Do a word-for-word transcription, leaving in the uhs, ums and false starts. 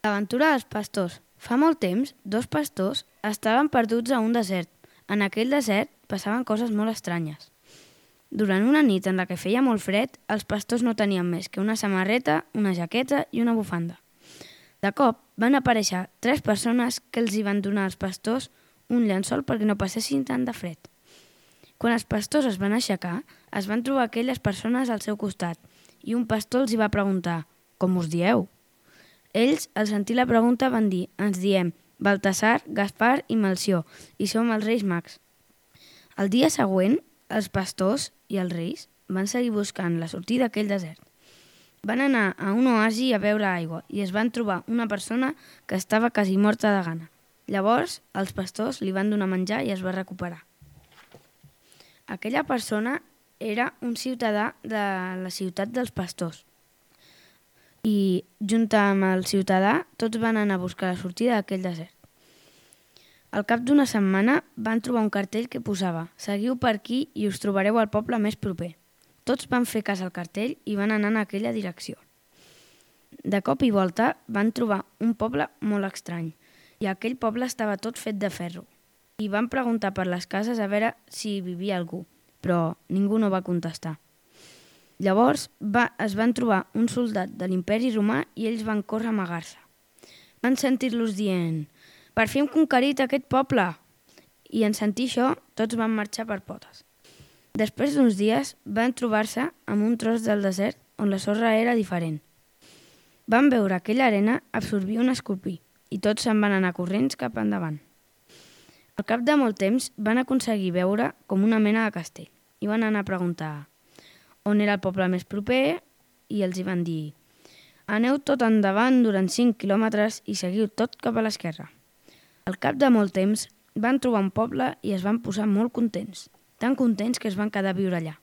L'aventura dels pastors. Fa molt temps, dos pastors estaven perduts a un desert. En aquell desert passaven coses molt estranyes. Durant una nit en la que feia molt fred, els pastors no tenien més que una samarreta, una jaqueta i una bufanda. De cop van aparèixer tres persones que els hi van donar als pastors un llençol perquè no passessin tant de fred. Quan els pastors es van aixecar, es van trobar aquelles persones al seu costat i un pastor els hi va preguntar «Com us dieu?». Ells, al sentir la pregunta, van dir «Ens diem Baltasar, Gaspar i Melcior i som els Reis Mags». El dia següent, els pastors i els reis van seguir buscant la sortida d'aquell desert. Van anar a un oasi a beure aigua i es van trobar una persona que estava quasi morta de gana. Llavors, els pastors li van donar menjar i es va recuperar. Aquella persona era un ciutadà de la ciutat dels pastors. I, junt amb el ciutadà, tots van anar a buscar la sortida d'aquell desert. Al cap d'una setmana van trobar un cartell que posava «Seguiu per aquí i us trobareu al poble més proper». Tots van fer cas al cartell i van anar en aquella direcció. De cop i volta van trobar un poble molt estrany i aquell poble estava tot fet de ferro. I van preguntar per les cases a veure si hi vivia algú, però ningú no va contestar. Llavors va, es van trobar un soldat de l'imperi romà i ells van córrer a amagar-se. Van sentir-los dient «Per fi hem conquerit aquest poble!» I en sentir això, tots van marxar per potes. Després d'uns dies van trobar-se amb un tros del desert on la sorra era diferent. Van veure aquella arena absorbir un escorpí i tots se'n van anar corrents cap endavant. Al cap de molt temps van aconseguir veure com una mena de castell i van anar a preguntar on era el poble més proper i els hi van dir «Aneu tot endavant durant cinc quilòmetres i seguiu tot cap a l'esquerra». Al cap de molt temps van trobar un poble i es van posar molt contents, tan contents que es van quedar a viure allà.